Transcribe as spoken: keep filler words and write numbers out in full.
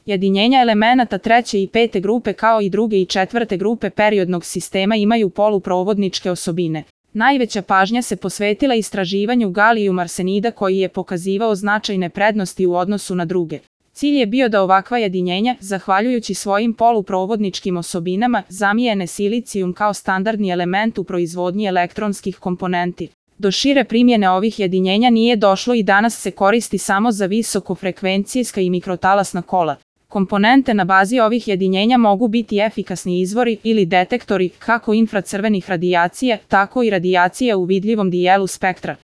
Jedinjenja elemenata treće i pete grupe kao i druge i četvrte grupe periodnog sistema imaju poluprovodničke osobine. Najveća pažnja se posvetila istraživanju galijum arsenida koji je pokazivao značajne prednosti u odnosu na druge. Cilj je bio da ovakva jedinjenja, zahvaljujući svojim poluprovodničkim osobinama, zamijene silicijum kao standardni element u proizvodnji elektronskih komponenti. Do šire primjene ovih jedinjenja nije došlo i danas se koristi samo za visokofrekvencijska i mikrotalasna kola. Komponente na bazi ovih jedinjenja mogu biti efikasni izvori ili detektori kako infracrvenih radijacija, tako i radijacija u vidljivom dijelu spektra.